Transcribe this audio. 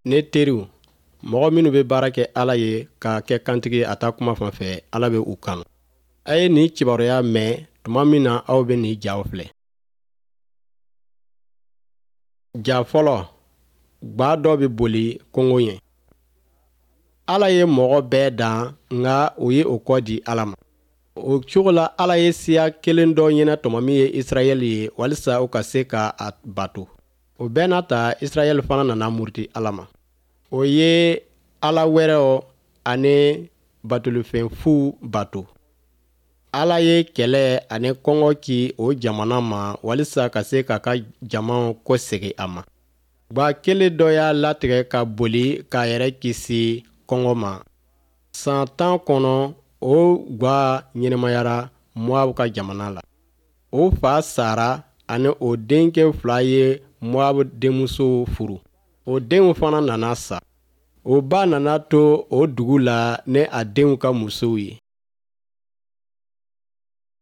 Ne teriw, mɔgɔ minnu bɛ baara kɛ Ala ye ka kɛ kantigi ye a ta kuma fan fɛ, Ala bɛ u kanu. A ye nin kibaruya mɛn tuma min na aw bɛ nin jaw filɛ. Ja fɔlɔ, gwa dɔ bɛ boli kongo ɲɛ. Ala ye mɔgɔ bɛɛ dan, nka u ye o kɔ di Ala ma. O cogo la Ala ye siya kelen dɔ ɲɛnatɔmɔ min ye Israɛl ye walisa u ka se ka a bato. O bɛɛ n'a ta Israɛl fana nana muruti Ala ma. O ye ala wɛrɛw ani batolifɛn fuw bato. Ala ye kɛlɛ ani kɔngɔ ci o jamana ma walisa ka se k'a ka jama kɔsegin a ma. Gwa kelen dɔ y'a latigɛ ka boli k'a yɛrɛ kisi kɔngɔ ma. San 10 kɔnɔ, o gwa ɲɛnamayara Moab ka jamana la. O fa sara ani o denkɛ fila ye Moab denmusow furu. O denw fana nana sa. O ba nana to o dugu la ni a denw ka musow ye.